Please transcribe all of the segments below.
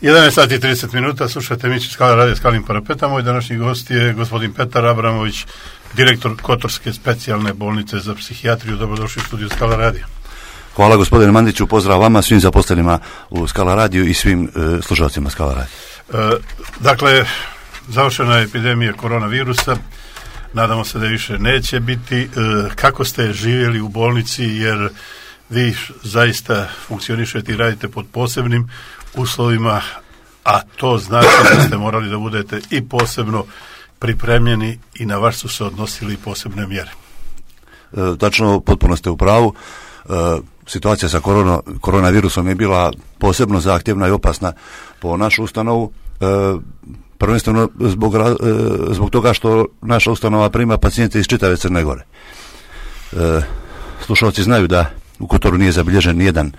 11 sati i 30 minuta, slušajte emisiju Skala radio Skalim parapeta. Moj današnji gost je gospodin Petar Abramović, direktor Kotorske specijalne bolnice za psihijatriju. Dobrodošli u studiju Skala radija. Hvala gospodine Mandiću, pozdrav vama, svim zaposlenima u Skala radiju i svim slušalcima Skala radija. Dakle, završena je epidemija koronavirusa, nadamo se da više neće biti. Kako ste živjeli u bolnici, jer vi zaista funkcionišete i radite pod posebnim uslovima, a to znači da ste morali da budete i posebno pripremljeni i na vas su se odnosili posebne mjere. Tačno, potpuno ste u pravu. Situacija sa koronavirusom je bila posebno zahtjevna i opasna po našu ustanovu, prvenstveno zbog toga što naša ustanova prima pacijente iz čitave Crne Gore. Slušalci znaju da u Kotoru nije zabilježen nijedan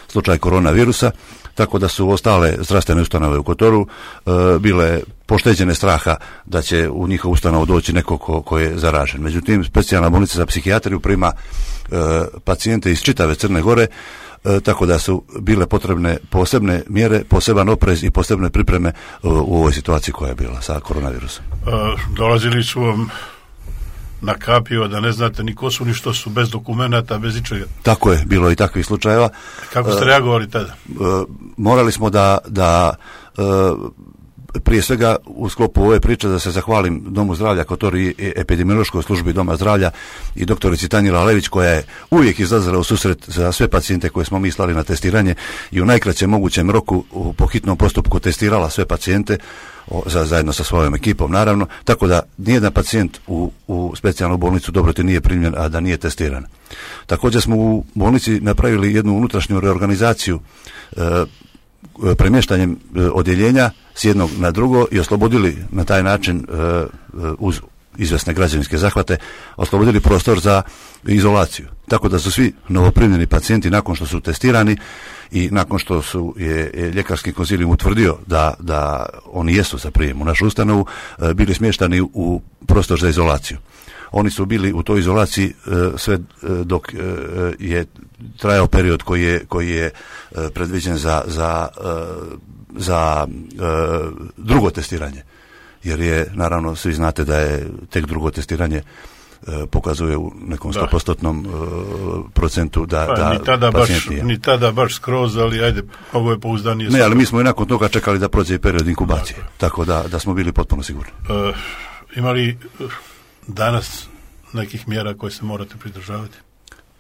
slučaj koronavirusa, tako da su ostale zdravstvene ustanove u Kotoru bile pošteđene straha da će u njihovu ustanovu doći neko ko je zaražen. Međutim, specijalna bolnica za psihijatriju prima pacijente iz čitave Crne Gore, tako da su bile potrebne posebne mjere, poseban oprez i posebne pripreme u ovoj situaciji koja je bila sa koronavirusom. Dolazili su vam na kapiju, da ne znate ni ko su, ni što su, bez dokumenata, bez ičega. Tako je, bilo i takvih slučajeva. Kako ste reagovali tada? Morali smo da prije svega u sklopu ove priče da se zahvalim Domu zdravlja Kotor i epidemiološkoj službi Doma zdravlja i doktorici Tanjila Lević, koja je uvijek izlazila u susret za sve pacijente koje smo mi slali na testiranje i u najkraćem mogućem roku po hitnom postupku testirala sve pacijente zajedno sa svojom ekipom, naravno, tako da nijedan pacijent u specijalnu bolnicu Dobroti nije primljen, a da nije testiran. Također smo u bolnici napravili jednu unutrašnju reorganizaciju premještanjem odjeljenja s jednog na drugo i oslobodili na taj način uz izvesne građevinske zahvate, oslobodili prostor za izolaciju. Tako da su svi novoprimljeni pacijenti nakon što su testirani i nakon što je ljekarski konzilijum utvrdio da oni jesu za prijem u našu ustanovu, bili smještani u prostor za izolaciju. Oni su bili u toj izolaciji sve dok je trajao period koji je predviđen za drugo testiranje. Jer je, naravno, svi znate da je tek drugo testiranje pokazuje u nekom 100% procentu da pacijent nije. Ni tada baš skroz, ali ajde, ovo je pouzdanije. Ne, ali mi smo i nakon toga čekali da prođe i period inkubacije. Tako da smo bili potpuno sigurni. Ima li danas nekih mjera koje se morate pridržavati?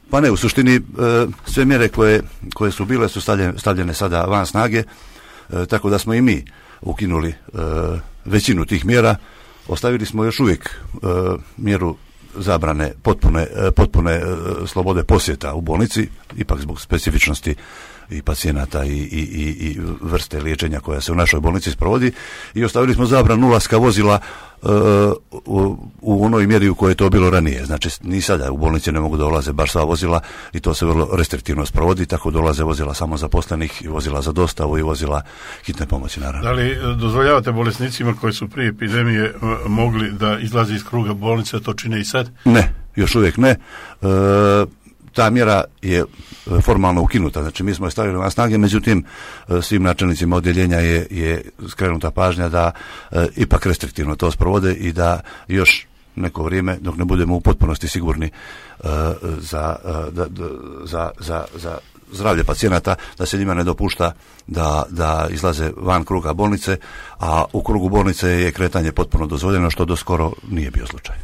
Pa ne, u suštini sve mjere koje su bile su stavljene sada van snage, tako da smo i mi ukinuli većinu tih mjera. Ostavili smo još uvijek mjeru zabrane potpune slobode posjeta u bolnici, ipak zbog specifičnosti i pacijenata i vrste liječenja koja se u našoj bolnici sprovodi, i ostavili smo zabranu ulaska vozila u onoj mjeri u kojoj je to bilo ranije. Znači, ni sada u bolnici ne mogu da ulaze baš sva vozila i to se vrlo restriktivno sprovodi, tako dolaze vozila samo zaposlenih i vozila za dostavu i vozila hitne pomoći, naravno. Da li dozvoljavate bolesnicima koji su prije epidemije mogli da izlaze iz kruga bolnice, to čine i sad? Ne, još uvijek ne. Ta mjera je formalno ukinuta, znači mi smo je stavili na snage, međutim svim načelnicima odjeljenja je skrenuta pažnja da ipak restriktivno to sprovode i da još neko vrijeme, dok ne budemo u potpunosti sigurni za zdravlje pacijenata, da se njima ne dopušta da izlaze van kruga bolnice, a u krugu bolnice je kretanje potpuno dozvoljeno, što doskoro nije bio slučaj.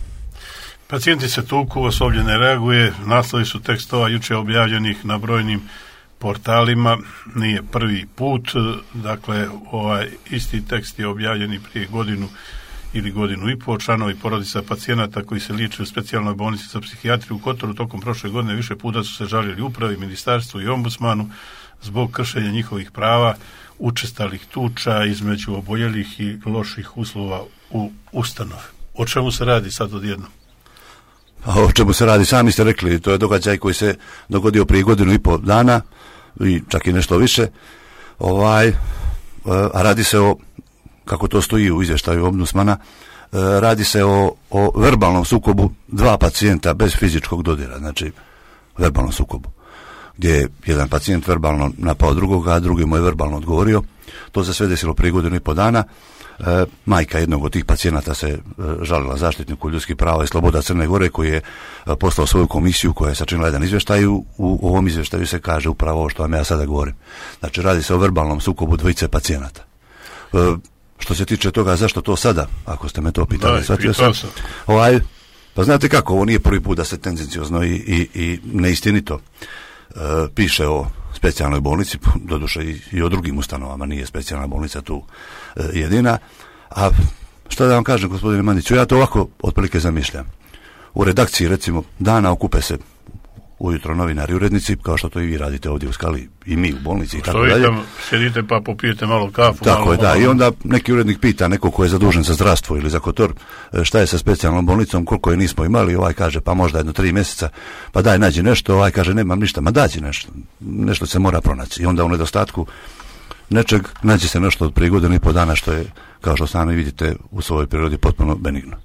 Pacijenti se tuku, osoblje ne reaguje, naslovi su tekstova jučer objavljenih na brojnim portalima, nije prvi put, dakle ovaj isti tekst je objavljen i prije godinu ili godinu i pol. Članovi porodica pacijenata koji se liječe u specijalnoj bolnici za psihijatriju u Kotoru tokom prošle godine više puta su se žalili upravi, ministarstvu i ombudsmanu zbog kršenja njihovih prava, učestalih tuča između oboljelih i loših uslova u ustanovi. O čemu se radi sad odjednom? O čemu se radi, sami ste rekli, to je događaj koji se dogodio prije godinu i pol dana i čak i nešto više. A radi se o, kako to stoji u izvještaju ombudsmana, radi se o verbalnom sukobu dva pacijenta bez fizičkog dodira, znači verbalnom sukobu. gdje je jedan pacijent verbalno napao drugoga, a drugi mu je verbalno odgovorio. To se sve desilo prije 1,5 dana. Majka jednog od tih pacijenata se žalila zaštitniku ljudskih prava i sloboda Crne Gore, koji je poslao svoju komisiju koja je sačinila jedan izvještaj. U ovom izvještaju se kaže upravo ovo što vam ja sada govorim. Znači, radi se o verbalnom sukobu dvojice pacijenata. Što se tiče toga zašto to sada, ako ste me to pitali, shvatio sam. Pa znate kako, ovo nije prvi put da se tendenciozno i neistinito piše o specijalnoj bolnici, doduše i o drugim ustanovama, nije specijalna bolnica tu jedina. A šta da vam kažem, gospodine Mandiću, ja to ovako otprilike zamišljam. U redakciji, recimo, dana okupe se ujutro novinari i urednici, kao što to i vi radite ovdje u Skali, i mi u bolnici i tako dalje. Sjedite pa popijete malo kafu. Tako je, da. I onda neki urednik pita neko ko je zadužen za zdravstvo ili za Kotor, šta je sa specijalnom bolnicom, koliko je nismo imali, ovaj kaže pa možda 3 mjeseca, pa daj nađi nešto, ovaj kaže nemam ništa, ma dađi nešto se mora pronaći. I onda u nedostatku nečeg nađe se nešto od prije 1,5 dana, što je, kao što sami vidite, u svojoj prirodi potpuno benigno.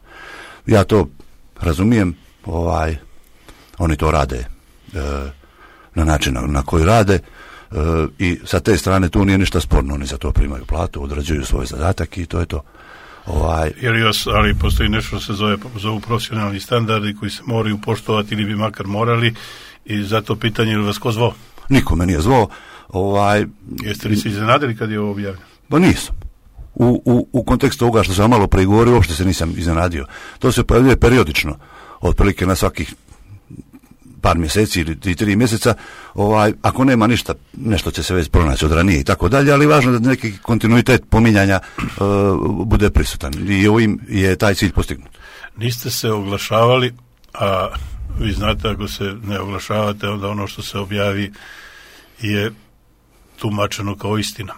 Ja to razumijem, oni to rade na način na koji rade, i sa te strane tu nije ništa sporno, oni za to primaju platu, odrađuju svoj zadatak i to je to. Ali postoji nešto što se zovu profesionalni standardi koji se moraju poštovati ili bi makar morali, i zato pitanje, ili vas ko zvao? Niko me nije zvao. Jeste li se iznenadili kad je ovo objavljeno? Pa nisam. U kontekstu ovoga što sam malo prije govorio, uopšte se nisam iznenadio. To se pojavljuje periodično, otprilike na svakih par mjeseci ili 3 mjeseca, ako nema ništa, nešto će se već pronaći od ranije i tako dalje, ali važno da neki kontinuitet pominjanja bude prisutan i ovim je taj cilj postignut. Niste se oglašavali, a vi znate, ako se ne oglašavate, onda ono što se objavi je tumačeno kao istina.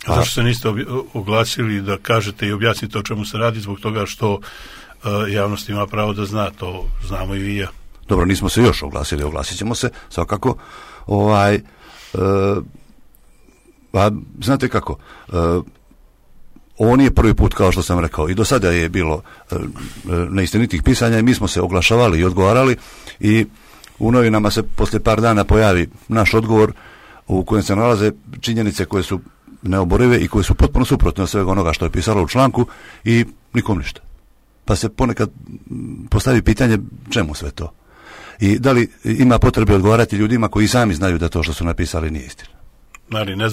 Zašto se niste oglasili da kažete i objasnite o čemu se radi? Zbog toga što javnost ima pravo da zna, to znamo i vi i ja. Dobro, nismo se još oglasili, oglasit ćemo se svakako. Znate kako, ovo nije prvi put, kao što sam rekao, i do sada je bilo neistinitih pisanja i mi smo se oglašavali i odgovarali, i u novinama se poslije par dana pojavi naš odgovor u kojem se nalaze činjenice koje su neoborive i koje su potpuno suprotne od svega onoga što je pisalo u članku, i nikom ništa. Pa se ponekad postavi pitanje čemu sve to. I da li ima potrebe odgovarati ljudima koji sami znaju da to što su napisali nije istina. Ali ne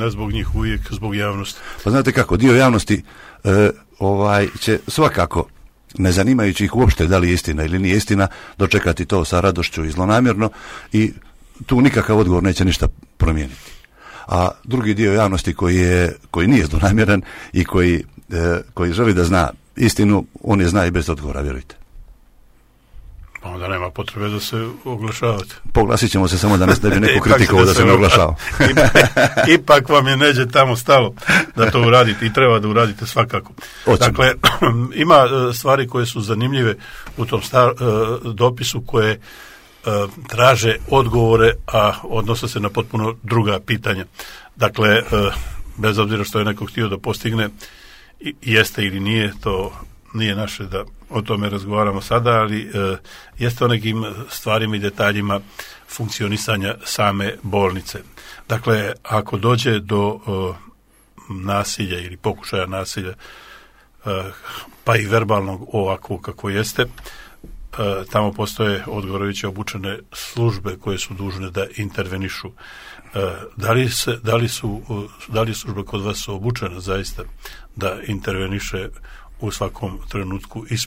zbog njih uvijek, zbog javnosti. Pa znate kako, dio javnosti će svakako, ne zanimajući ih uopšte da li je istina ili nije istina, dočekati to sa radošću i zlonamjerno, i tu nikakav odgovor neće ništa promijeniti. A drugi dio javnosti koji nije zlonamjeran i koji želi da zna istinu, on je zna i bez odgovora, vjerujte. Onda nema potrebe da se oglašavate. Poglasit ćemo se, samo da ne bi neko kritikovao da se ne oglašava. Ipak vam je neđe tamo stalo da to uradite, i treba da uradite svakako. Dakle, ima stvari koje su zanimljive u tom dopisu, koje traže odgovore, a odnose se na potpuno druga pitanja. Dakle, bez obzira što je neko htio da postigne, jeste ili nije, to nije naše da o tome razgovaramo sada, ali jeste o nekim stvarima i detaljima funkcionisanja same bolnice. Dakle, ako dođe do nasilja ili pokušaja nasilja, pa i verbalnog ovako kako jeste, tamo postoje odgovarajuće obučene službe koje su dužne da intervenišu. Da li službe kod vas obučene zaista da interveniše u svakom trenutku i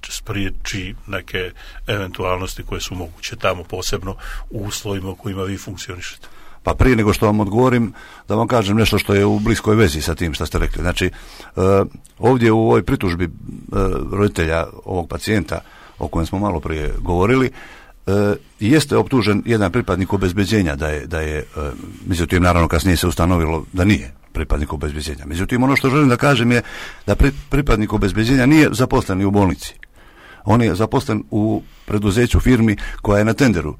spriječi neke eventualnosti koje su moguće tamo, posebno u uslovima u kojima vi funkcionišete? Pa prije nego što vam odgovorim, da vam kažem nešto što je u bliskoj vezi sa tim što ste rekli. Znači, ovdje u ovoj pritužbi roditelja ovog pacijenta o kojem smo malo prije govorili, jeste optužen jedan pripadnik obezbeđenja da je međutim, naravno kasnije se ustanovilo da nije pripadnik obezbeđenja. Međutim, ono što želim da kažem je da pripadnik obezbeđenja nije zaposlen u bolnici. On je zaposlen u preduzeću, firmi koja je na tenderu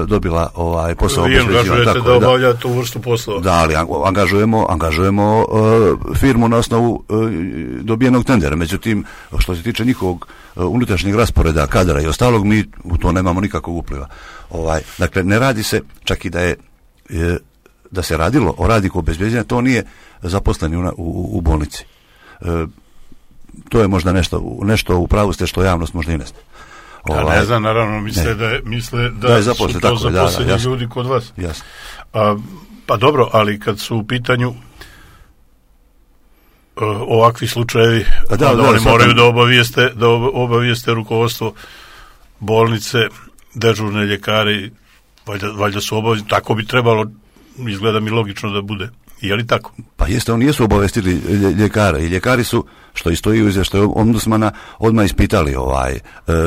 dobila posao. Vi angažujete da obavlja tu vrstu poslova? Da, ali angažujemo firmu na osnovu dobijenog tendera. Međutim, što se tiče njihovog unutrašnjeg rasporeda kadra i ostalog, mi u to nemamo nikakvog upliva. Dakle, ne radi se, čak i da se radilo o radniku obezbeđenja, to nije zaposleni u bolnici. To je možda nešto u pravu ste što javnost možda i ne zna. Ne znam, naravno, misle da su to zaposleni ljudi kod vas. Jasno. Pa dobro, ali kad su u pitanju ovakvi slučajevi, oni moraju da obavijeste rukovodstvo bolnice, dežurne ljekari, valjda su obavezni, tako bi trebalo, izgleda mi logično da bude. Je li tako? Pa jeste, oni jesu obavestili ljekara i ljekari su, što i stoji u izvještaju ombudsmana, odmah ispitali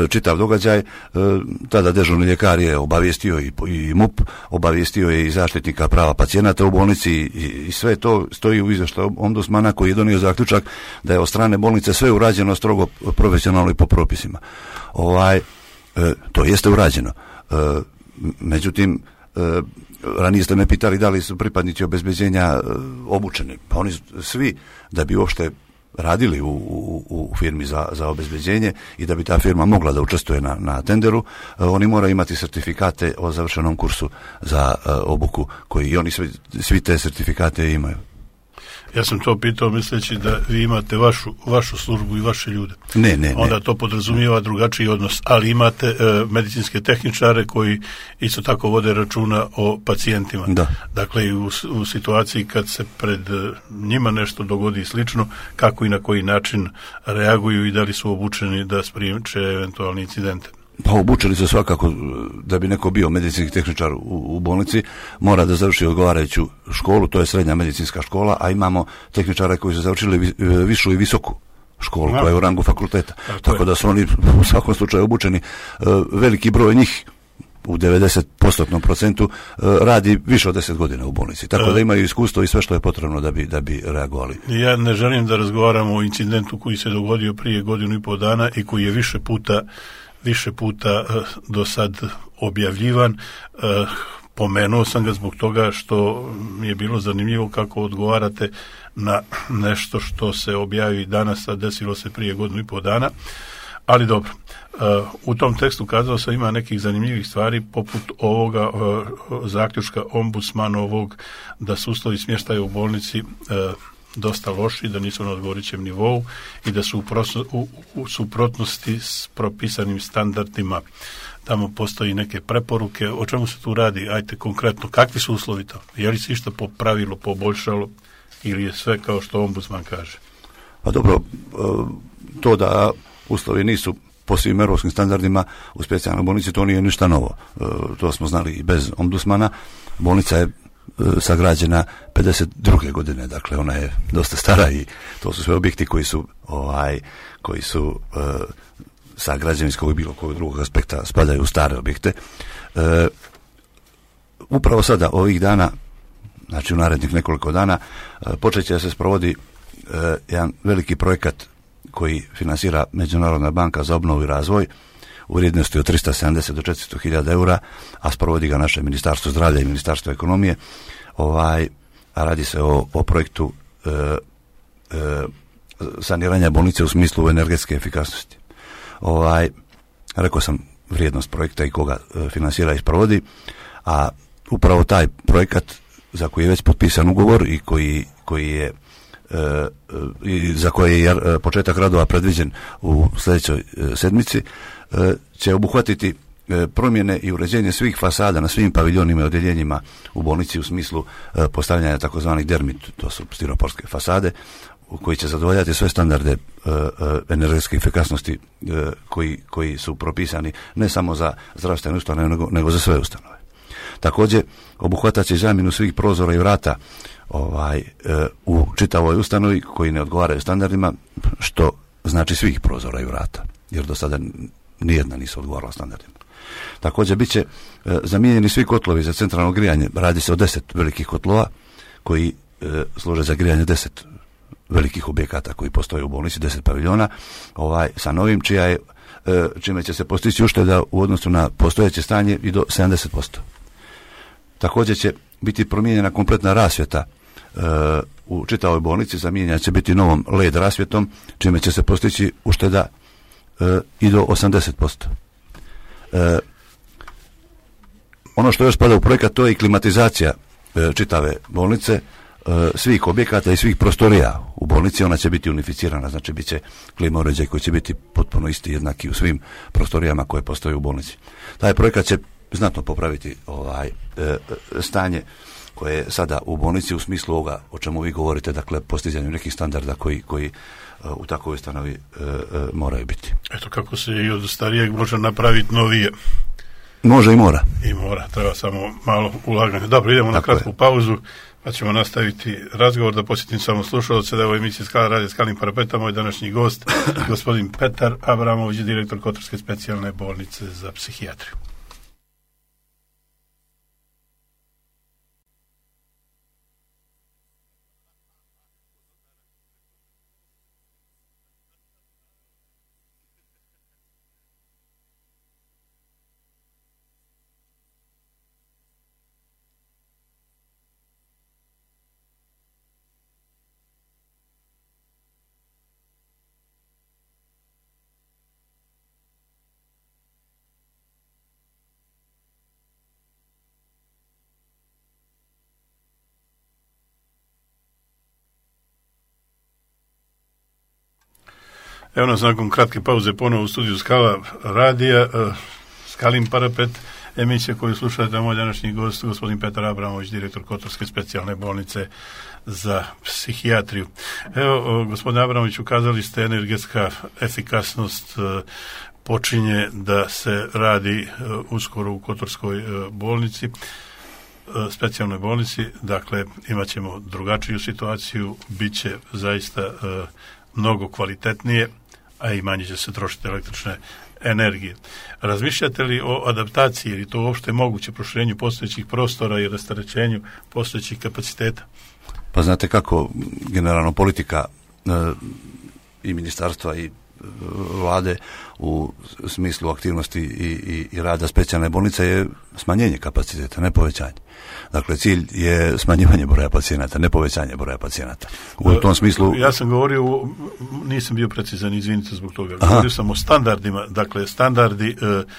čitav događaj. Tada dežurni ljekar je obavijestio i MUP, obavijestio je i zaštitnika prava pacijenata u bolnici i sve to stoji u izvještaju ombudsmana koji je donio zaključak da je od strane bolnice sve urađeno strogo profesionalno i po propisima. To jeste urađeno. Međutim, ranije ste me pitali da li su pripadnici obezbeđenja obučeni. Pa oni svi, da bi uopšte radili u firmi za obezbeđenje i da bi ta firma mogla da učestvuje na tenderu, oni moraju imati sertifikate o završenom kursu za obuku, koji i oni svi te sertifikate imaju. Ja sam to pitao misleći da vi imate vašu službu i vaše ljude. Ne. Onda to podrazumijeva drugačiji odnos, ali imate medicinske tehničare koji isto tako vode računa o pacijentima. Da. Dakle, u situaciji kad se pred njima nešto dogodi i slično, kako i na koji način reaguju i da li su obučeni da spriječe eventualni incidente. Pa obučili su svakako, da bi neko bio medicinski tehničar u bolnici, mora da završi odgovarajuću školu, to je srednja medicinska škola, a imamo tehničare koji su završili višu i visoku školu, koja je u rangu fakulteta. Tako da su oni u svakom slučaju obučeni. Veliki broj njih, u 90% radi više od 10 godina u bolnici. Tako da imaju iskustvo i sve što je potrebno da bi reagovali. Ja ne želim da razgovaramo o incidentu koji se dogodio prije 1.5 dana i koji je više puta do sad objavljivan. Pomenuo sam ga zbog toga što mi je bilo zanimljivo kako odgovarate na nešto što se objavi danas, a desilo se prije 1.5 dana. Ali dobro, u tom tekstu kazao sam ima nekih zanimljivih stvari poput ovoga zaključka ombudsmanovog da su uslovi smještaja u bolnici dosta loši, da nisu na odgovarajućem nivou i da su u suprotnosti s propisanim standardima. Tamo postoji neke preporuke. O čemu se tu radi? Ajte konkretno, kakvi su uslovi to? Je li se išta po pravilu poboljšalo ili je sve kao što ombudsman kaže? Pa dobro, to da uslovi nisu po svim europskim standardima u specijalnoj bolnici, to nije ništa novo. To smo znali i bez ombudsmana. Bolnica je sagrađena 52. godine, dakle ona je dosta stara i to su sve objekti koji su sa građevinskog i bilo kojeg drugog aspekta spadaju u stare objekte. Upravo sada, ovih dana, znači u narednih nekoliko dana, počet će da se sprovodi jedan veliki projekat koji finansira Međunarodna banka za obnovu i razvoj u vrijednosti od 370 do 400.000 eura, a sprovodi ga naše Ministarstvo zdravlja i Ministarstvo ekonomije. A radi se o projektu saniranja bolnice u smislu energetske efikasnosti. Rekao sam vrijednost projekta i koga finansira i sprovodi, a upravo taj projekat za koji je već potpisan ugovor i koji je za koje je početak radova predviđen u sljedećoj sedmici, će obuhvatiti promjene i uređenje svih fasada na svim paviljonima i odjeljenjima u bolnici u smislu postavljanja takozvanih dermit, to su stiroporske fasade, koji će zadovoljati sve standarde energetske efikasnosti koji su propisani ne samo za zdravstvene ustanove nego za sve ustanove. Također obuhvatat će zamjenu svih prozora i vrata u čitavoj ustanovi koji ne odgovaraju standardima, što znači svih prozora i vrata, jer do sada nijedna nisu odgovarala standardima. Također bit će zamijenjeni svi kotlovi za centralno grijanje. Radi se o 10 velikih kotlova koji služe za grijanje 10 velikih objekata koji postoje u bolnici, 10 paviljona, sa novim, čija je čime će se postići ušteda u odnosu na postojeće stanje i do 70%. Također će biti promijenjena kompletna rasvjeta u čitavoj bolnici, zamijenjena će biti novom LED rasvjetom, čime će se postići ušteda i do 80%. Ono što još spada u projekat, to je i klimatizacija čitave bolnice, svih objekata i svih prostorija u bolnici. Ona će biti unificirana, znači bit će klima uređaj koji će biti potpuno isti, jednaki u svim prostorijama koje postoje u bolnici. Taj projekat će znatno popraviti stanje koje je sada u bolnici u smislu ovoga o čemu vi govorite, dakle postizanju nekih standarda koji u takvoj ustanovi moraju biti. Eto kako se i od starijeg može napraviti novije. Može i mora. I mora, treba samo malo ulaganja. Dobro, idemo na kratku pauzu, pa ćemo nastaviti razgovor. Da posjetim samo slušalce da je ovo emisija Skala radija Skalnim parapetom. Moj današnji gost, gospodin Petar Abramović, direktor Kotorske specijalne bolnice za psihijatriju. Evo nas nakon kratke pauze ponovo u studiju Skala radija, Skalin parapet, emisija koju slušate, moj današnji gost, gospodin Petar Abramović, direktor Kotorske specijalne bolnice za psihijatriju. Evo, gospodine Abramović, ukazali ste energetska efikasnost počinje da se radi uskoro u Kotorskoj bolnici, specijalnoj bolnici, dakle imat ćemo drugačiju situaciju, bit će zaista mnogo kvalitetnije, a i manje će se trošiti električne energije. Razmišljate li o adaptaciji, jer je to uopšte moguće, proširenju postojećih prostora i rasterećenju postojećih kapaciteta? Pa znate kako generalno politika i ministarstva i vlade u smislu aktivnosti i rada specijalne bolnice je smanjenje kapaciteta, ne povećanje. Dakle, cilj je smanjivanje broja pacijenata, ne povećanje broja pacijenata. U tom smislu... Ja sam govorio, nisam bio precizan, izvinite zbog toga. Govorio sam o standardima, dakle, standardi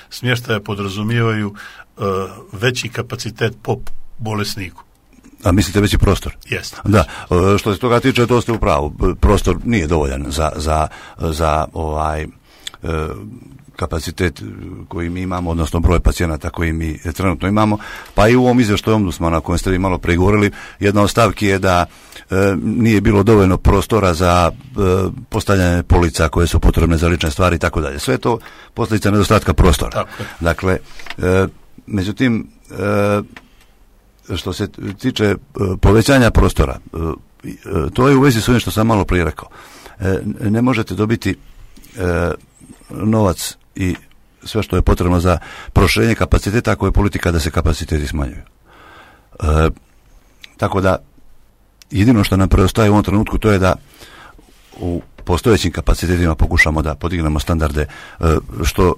smještaja podrazumijevaju veći kapacitet po bolesniku. A mislite veći prostor? Jeste. Da, što se toga tiče, to ste u pravu. Prostor nije dovoljan za kapacitet koji mi imamo, odnosno broj pacijenata koji mi trenutno imamo. Pa i u ovom izvještaju ombudsmana o kojem ste vi malo pregovorili, jedna od stavki je da nije bilo dovoljno prostora za postavljanje polica koje su potrebne za lične stvari i tako dalje. Sve je to posljedica nedostatka prostora. Tako. Dakle, međutim, što se tiče povećanja prostora, to je u vezi s ovim što sam malo prije rekao. Ne možete dobiti novac i sve što je potrebno za proširenje kapaciteta ako je politika da se kapaciteti smanjuju. Tako da jedino što nam preostaje u ovom trenutku to je da u postojećim kapacitetima pokušamo da podignemo standarde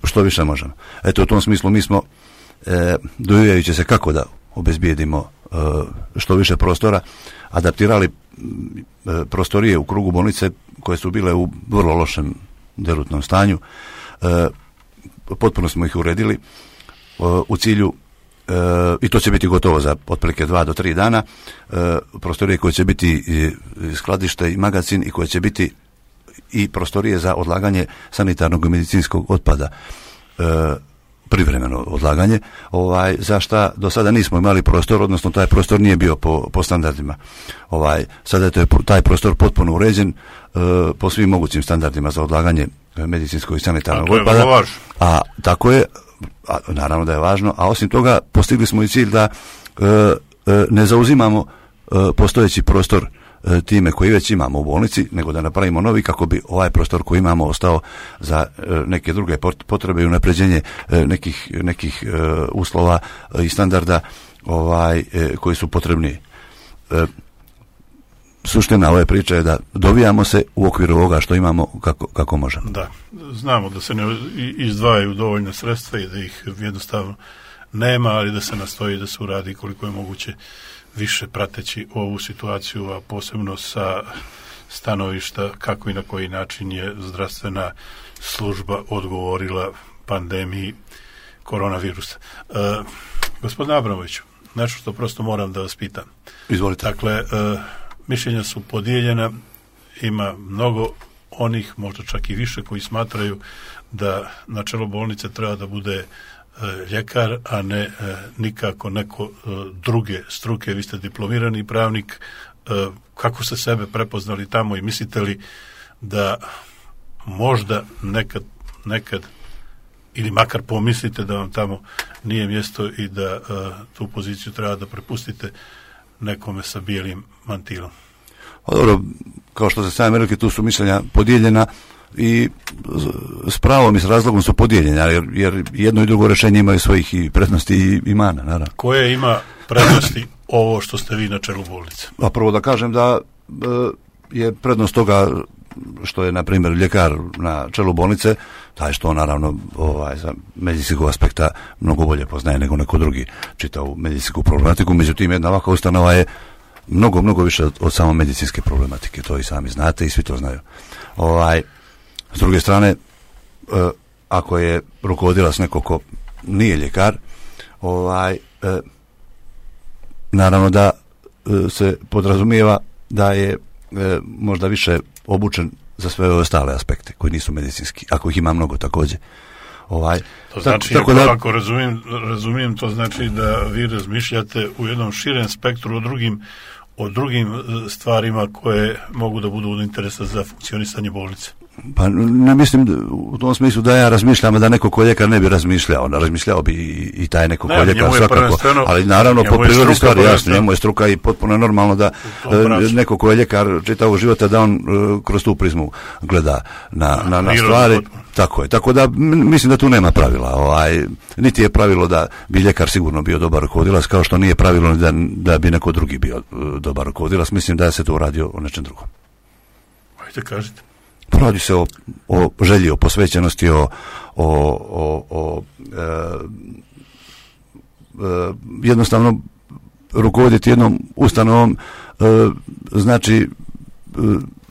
što više možemo. Eto, u tom smislu mi smo dovijajući se kako da obezbijedimo što više prostora, adaptirali prostorije u krugu bolnice koje su bile u vrlo lošem derutnom stanju. Potpuno smo ih uredili u cilju, i to će biti gotovo za otprilike 2 do 3 dana, prostorije koje će biti i skladište i magazin i koje će biti i prostorije za odlaganje sanitarnog i medicinskog otpada, privremeno odlaganje, za šta do sada nismo imali prostor, odnosno taj prostor nije bio po standardima. Sada je taj prostor potpuno uređen po svim mogućim standardima za odlaganje medicinskog i sanitarnog otpada. A tako je, naravno da je važno, a osim toga postigli smo i cilj da ne zauzimamo postojeći prostor time koji već imamo u bolnici, nego da napravimo novi kako bi ovaj prostor koji imamo ostao za neke druge potrebe i unapređenje nekih uslova i standarda koji su potrebni. suština ove priče je da dovijamo se u okviru ovoga što imamo kako možemo. Da, znamo da se ne izdvajaju dovoljna sredstva i da ih jednostavno nema, ali da se nastoji da se uradi koliko je moguće više prateći ovu situaciju, a posebno sa stanovišta kako i na koji način je zdravstvena služba odgovorila pandemiji koronavirusa. Gospodin Abramoviću, nešto što prosto moram da vas pitam. Izvolite. Dakle, mišljenja su podijeljena, ima mnogo onih, možda čak i više, koji smatraju da na čelo bolnice treba da bude ljekar, a ne nikako neko druge struke. Vi ste diplomirani pravnik, kako ste sebe prepoznali tamo i mislite li da možda nekad ili makar pomislite da vam tamo nije mjesto i da tu poziciju treba da prepustite nekome sa bijelim mantilom? Dobro, kao što ste sami rekli, tu su mišljenja podijeljena i s pravom i s razlogom su podijeljena, jer jedno i drugo rješenje imaju svojih i prednosti i mana, naravno. Koje ima prednosti ovo što ste vi na čelu bolnice? A prvo da kažem da je prednost toga što je, na primjer, ljekar na čelu bolnice, taj što naravno sa medicinskog aspekta mnogo bolje poznaje nego neko drugi čita u medicinsku problematiku, međutim jedna ovakva ustanova je mnogo više od samo medicinske problematike, to i sami znate i svi to znaju. S druge strane, ako je rukovodilac neko ko nije ljekar, naravno da se podrazumijeva da je možda više obučen za sve ostale aspekte koji nisu medicinski, ako ih ima mnogo također. To znači, ako razumijem, to znači da vi razmišljate u jednom širem spektru o drugim stvarima koje mogu da budu od interesa za funkcionisanje bolnice. Pa ne mislim u tom smislu da ja razmišljam, da neko ko ljekar ne bi razmišljao. Razmišljao bi i taj neko ko ljekar svakako. Ali naravno po prirodi stvari jasno, njemu je struka i potpuno je normalno da neko ko je ljekar čitavog života da on kroz tu prizmu gleda na stvari. Tako je. Tako da mislim da tu nema pravila. Niti je pravilo da bi ljekar sigurno bio dobar rukovodilac, kao što nije pravilo da bi neko drugi bio dobar rukovodilac. Mislim da se tu radi o nečem drugom. Ajde, kažite. Radi se o želji, o posvećenosti, jednostavno rukovoditi jednom ustanovom znači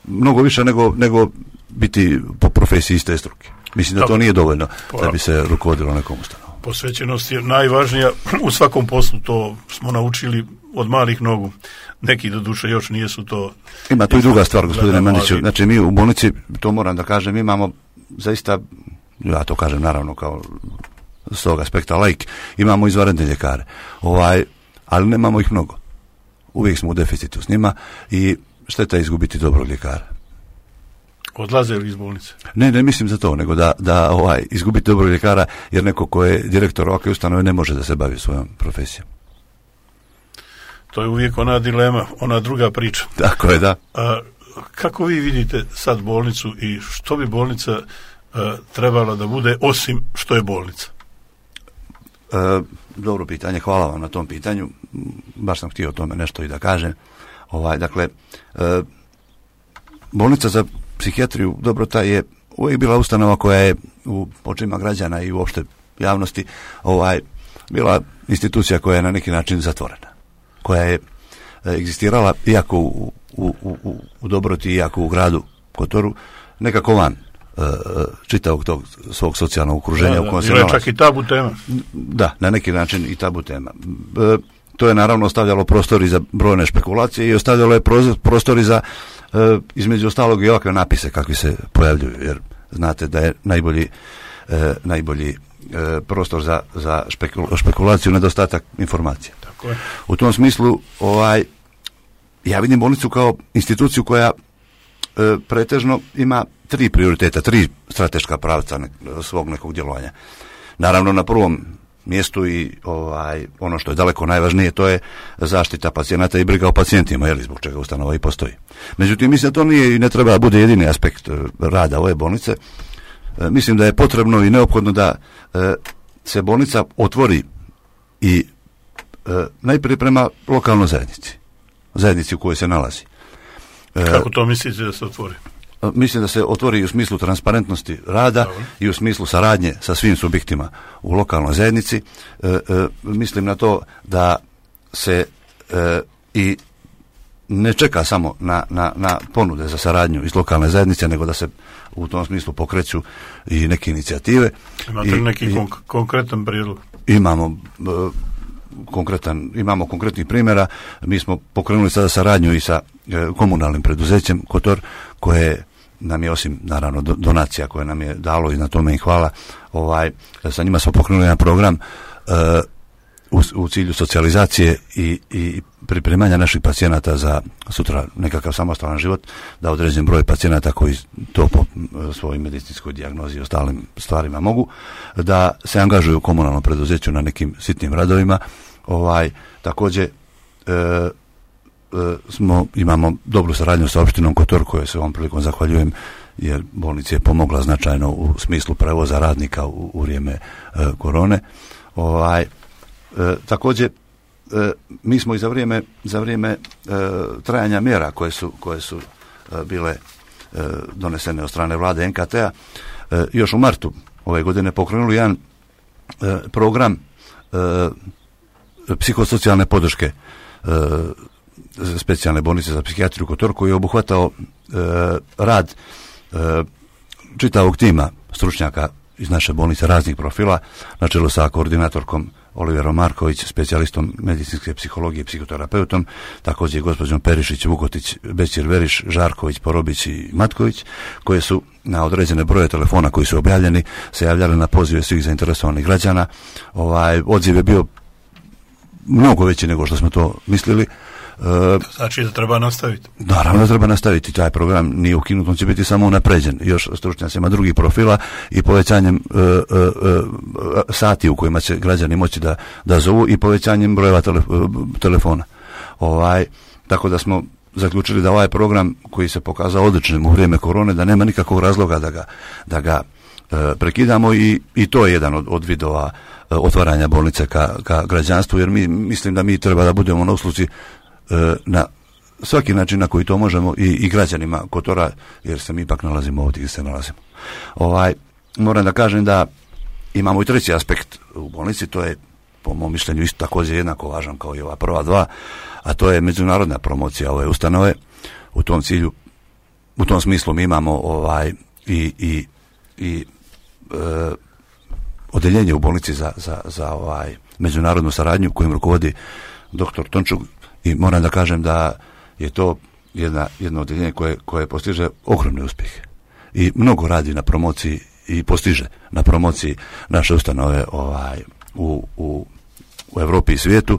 mnogo više nego biti po profesiji iste struke. Mislim da to nije dovoljno da bi se rukovodilo nekom ustanovom. Posvećenost je najvažnija u svakom poslu, to smo naučili od malih nogu. Neki do duše još nijesu to. Ima tu i druga stvar, gospodine Mandiću. Znači mi u bolnici, to moram da kažem, imamo zaista, ja to kažem naravno kao s tog aspekta laik, imamo izvanredne ljekare. Ali nemamo ih mnogo. Uvijek smo u deficitu s njima i šteta je izgubiti dobrog ljekara. Odlaze li iz bolnice? Ne mislim za to, nego da izgubiti dobrog ljekara, jer neko ko je direktor ovakve ustanove ne može da se bavi svojom profesijom. To je uvijek ona dilema, ona druga priča. Tako je, da. Kako vi vidite sad bolnicu i što bi bolnica trebala da bude osim što je bolnica? Dobro pitanje, hvala vam na tom pitanju. Baš sam htio o tome nešto i da kažem. Dakle, bolnica za psihijatriju Dobrota je uvijek bila ustanova koja je u očima građana i uopšte javnosti bila institucija koja je na neki način zatvorena, koja je egzistirala iako u Dobroti, iako u gradu Kotoru, nekako van čitavog tog svog socijalnog okruženja u kojem se nalazi. Čak i tabu tema. Da, na neki način i tabu tema. To je naravno ostavljalo prostori za brojne špekulacije i ostavljalo je prostori za između ostalog i ovakve napise kakvi se pojavljuju, jer znate da je najbolji prostor za špekulaciju nedostatak informacija. Tako je. U tom smislu ja vidim bolnicu kao instituciju koja pretežno ima 3 prioriteta, 3 strateška pravca svog nekog djelovanja. Naravno na prvom mjestu i ono što je daleko najvažnije, to je zaštita pacijenata i briga o pacijentima, zbog čega ustanova i postoji. Međutim, mislim da to nije i ne treba da bude jedini aspekt rada ove bolnice. Mislim da je potrebno i neophodno da se bolnica otvori i najprije prema lokalnoj zajednici u kojoj se nalazi. Kako to mislite da se otvori? Mislim da se otvori u smislu transparentnosti rada. Dobro. I u smislu saradnje sa svim subjektima u lokalnoj zajednici. Mislim na to da se i ne čeka samo na ponude za saradnju iz lokalne zajednice, nego da se u tom smislu pokreću i neke inicijative. Imate li neki konkretan prijedlog? Imamo konkretnih primjera. Mi smo pokrenuli sada saradnju i sa komunalnim preduzećem Kotor, koje nam je, osim naravno donacija koje nam je dalo i na tome im hvala, sa njima smo pokrenuli jedan program u cilju socijalizacije i pripremanja naših pacijenata za sutra nekakav samostalan život, da određen broj pacijenata koji to po svojoj medicinskoj dijagnozi i ostalim stvarima mogu, da se angažuju u komunalnom preduzeću na nekim sitnim radovima. Također imamo dobru saradnju sa opštinom Kotor, koje se ovom prilikom zahvaljujem, jer bolnica je pomogla značajno u smislu prevoza radnika u vrijeme korone. Također mi smo i za vrijeme trajanja mjera koje su bile donesene od strane vlade NKT-a još u martu ove godine pokrenuli jedan program psihosocijalne podrške specijalne bolnice za psihijatriju Kotor, koji je obuhvatao rad čitavog tima stručnjaka iz naše bolnice raznih profila, na čelu sa koordinatorkom Oliverom Marković, specijalistom medicinske psihologije i psihoterapeutom, također gospođom Perišić, Vukotić, Bećir, Veriš, Žarković, Porobić i Matković, koje su na određene broje telefona koji su objavljeni se javljali na pozive svih zainteresovanih građana. Odziv je bio mnogo veći nego što smo to mislili. Znači da treba nastaviti? Naravno da treba nastaviti. Taj program nije ukinut, on će biti samo unapređen još stručnjacima drugih profila i povećanjem sati u kojima će građani moći da zovu i povećanjem brojeva telefona. Tako da smo zaključili da ovaj program, koji se pokazao odličnim u vrijeme korone, da nema nikakvog razloga da ga prekidamo i to je jedan od vidova otvaranja bolnice ka građanstvu, jer mislim da mi treba da budemo na usluzi na svaki način na koji to možemo i građanima Kotora, jer se mi ipak nalazimo ovdje gdje se nalazimo. Moram da kažem da imamo i treći aspekt u bolnici, to je po mom mišljenju isto također jednako važan kao i ova prva dva, a to je međunarodna promocija ove ustanove. U tom smislu mi imamo odeljenje u bolnici za međunarodnu saradnju kojim rukovodi dr. Tončuk, i moram da kažem da je to jedno odeljenje koje postiže ogromne uspjehe i mnogo radi na promociji i postiže na promociji naše ustanove u Europi i svijetu,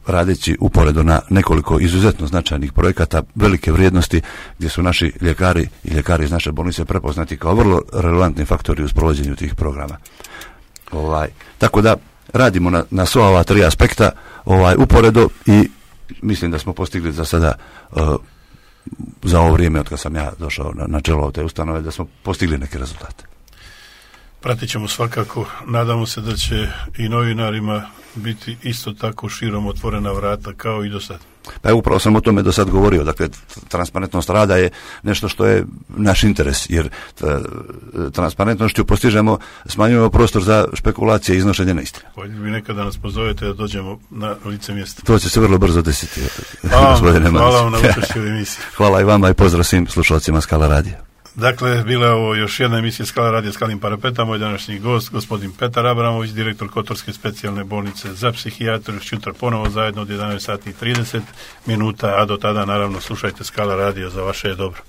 radeći uporedo na nekoliko izuzetno značajnih projekata velike vrijednosti, gdje su naši ljekari i ljekari iz naše bolnice prepoznati kao vrlo relevantni faktori u sprovođenju tih programa. Tako da radimo na sva ova tri aspekta uporedo i mislim da smo postigli za sada za ovo vrijeme od kad sam ja došao na čelo te ustanove, da smo postigli neke rezultate. Pratit ćemo svakako, nadamo se da će i novinarima biti isto tako širom otvorena vrata kao i do sad. Pa upravo sam o tome do sad govorio, dakle transparentnost rada je nešto što je naš interes, jer transparentnošću postižemo, smanjujemo prostor za špekulacije i iznošenje neistine. Voljeli bi nekada da nas pozovete da dođemo na lice mjesta. To će se vrlo brzo desiti. Hvala vam na učešću u emisiji. Hvala i vama i pozdrav svim slušalcima Skala radija. Dakle, bila je ovo još jedna emisija Skala radija Skalim Parapeta. Moj današnji gost, gospodin Petar Abramović, direktor Kotorske specijalne bolnice za psihijatriju. Sutra ponovo zajedno od 11:30, a do tada naravno slušajte Skala radija, za vaše je dobro.